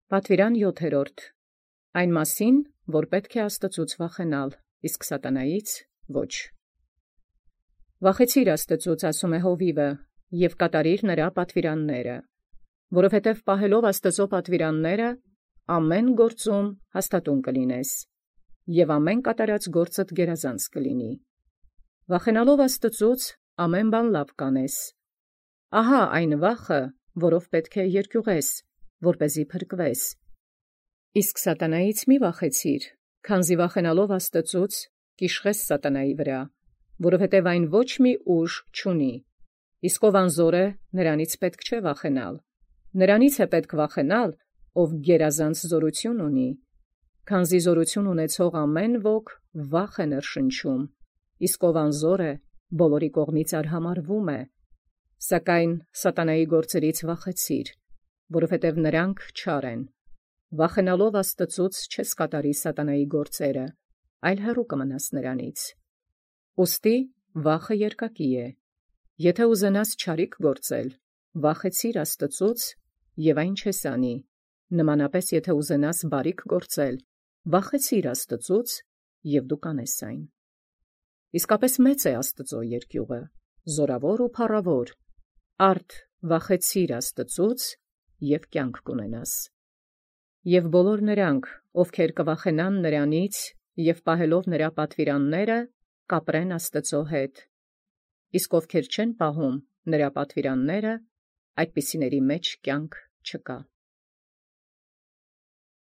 Պատվիրան 7. Այն մասին, որ պետք է Աստուծոյ վախենալ, իսկ սատանայից ոչ։ Վախեցիր Աստուծոյ, ասում է Հովիվը, և կատարիր նրա պատվիրանները, որովհետև պահելով Աստուծոյ պատվիրանները, ամեն գործում հաստատուն կլինես, և ամեն կատարած գործդ գերազանց կլինի։ Վախենալով Աստուծոյ, ամեն բան լավ կանես։ Ահա այն վախը, որով պետք է երկյուղես, որպեսզի փրկվես։ Իսկ սատանայից մի վախեցիր, քանզի վախենալով Աստուծոյ, կիշխես սատանայի վրա, որովհետև այն ոչ մի ուժ չունի, իսկ ով անզոր է, նրանից պետք չէ վախենալ, նրանից է պետք վախենալ, ով գերազանց զորություն ունի, քանզի զորություն ունեցող ամեն ոք վախ է ներշնչում, իսկ ով անզոր է, բոլորի կողմից արհամարվում է, սակայն սատանայի գործերից վախեցիր, որովհետև նրանք չար են, վախենալով Աստուծոյ չես կատարի սատանայի գործերը, այլ հեռու կմնաս նրանից։ Ուստի վախը երկակի է, եթե ուզենաս չարիք գործել, վախեցիր Աստուծոյ և այն չես անի, նմանապես եթե ուզենաս բարիք գործել, վախեցիր Աստուծոյ և դու կանես այն։ Իսկապես մեծ է Աստուծոյ երկյուղը, զորավոր ու փառավոր, արդ վախեցիր Աստուծոյ և կյանք կունենաս։ Եվ բոլոր նրանք, ովքեր կվախենան նրանից և պահելով նրա պատվիրանները, կապրեն Աստուծոյ հետ, իսկ ովքեր չեն պահում նրա պատվիրանները, այդպիսիների մեջ կյանք չկա։